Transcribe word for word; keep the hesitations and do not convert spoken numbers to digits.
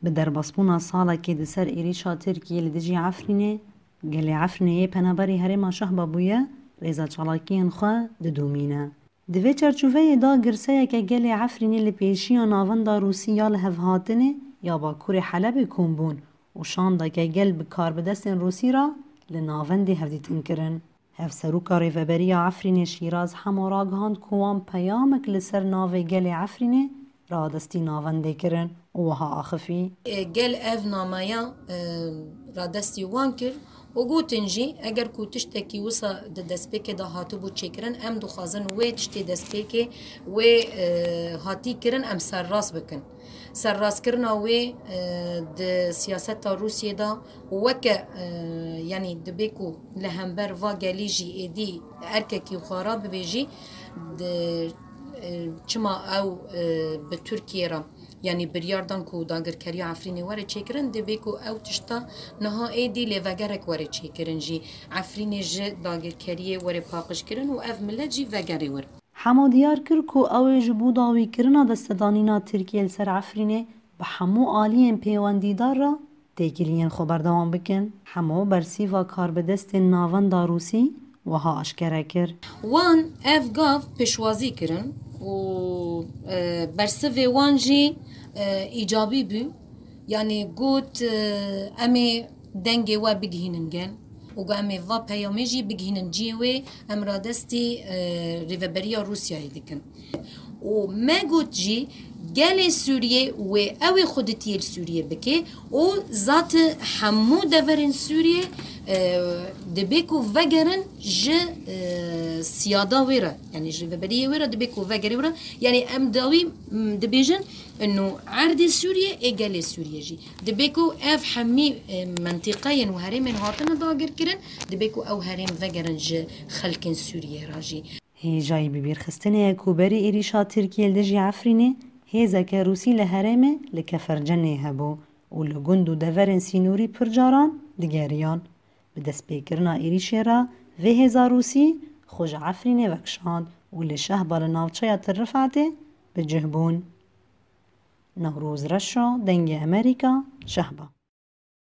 Bi derbasbûna salekê di ser êrîşa Tirkiyê li dijî Efrînê, gelê Efrînê yê penaberî herêma Şehba bûye, rêza çalakiyên xwe didomîne. Di vê çarçoveyê de girseyeke gelê Efrînê li pêşiya navenda Rûsî ya lihevhatinê ya Bakurê Helebê kom bûn û şandeke gel bi karbidestên Rûsî re li navendê hevdîtin kirin. Hevserûka Rêveberiya Efrînê Şîraz Hemo ragihand ku wan peyamek li ser navê gelê Efrînê radestî navendê kirin û wiha axifî. Gel ev nameya, e, radestî wan kir û gotin jî, eger ku tiştekî wisa di destpêkê de hatibû çêkirin, em dixwazin wê tiştê destpêkê wê, e, hatî kirin, em serrast bikin. Serrastkirina wê, e, di siyaseta Rûsiyê de weke, e, yanî dibê ku li hember va gelî jî êdî erkekî xwe re bibêjî, di, e, çima ew, e, bi Tirkiyê re, yanî biryar dan ku dagirkeriya Efrînê were çêkirin, dibê ku ew tişta niha êdî lêvegerek were çêkirin jî, Efrînê ji dagirkeriyê were paqijkirin û ev milet jî vegerê wir. Hemo diyar kir ku ew ê ji bo dawîkirina destedanîna Tirkiyê li ser Efrînê bi hemû aliyên pêwendîdar re têkiliyên xwe berdewam bikin. Hemo bersîva karbidestên navenda Rûsî wiha aşkere kir. Wan ev gav pêşwazî kirin û, e, bersivê wan jî, e, îcabî bû. Yanî got, e, em ê dengê we bigihînin gel û got em ê va peyamê jî bigihînin cihê wê, em radestî, e, rêveberiya Rûsyayê dikin. Û me got jî gelê Sûriyê wê ew ê xweditiyê li Sûriyê bike û zati hemû deverên Sûriyê, e, dibê ku vegerin ji, e, siyada wê re, yanî ji rêveberiyê wê re dibê ku vegerê wê re. Yanî em dawî, m, dibêjin, ino erdê Sûriyê ê gelê Sûriyê jî. Dibê ku ev hemî, e, mentîqeyên û herêmên hatine dagirkirin, dibê ku ew herêm vegerin ji xelkên Sûriyê re jî. Hêjayî bibîrxistinê ye ku berî êrîşa Tirkiyê li dijî Efrînê hêzeke Rûsî li herêmê li Kefercenê hebû û li gund û deverên sînorî pir caran digeriyan. Bi destpêkirina êrîşê re vê hêza Rûsî xwe ji Efrînê vekişand û li Şehba li navçeya Til Rifatê bi cih bûn. Newroz Reşo, Dengê Amerîka, Şehba.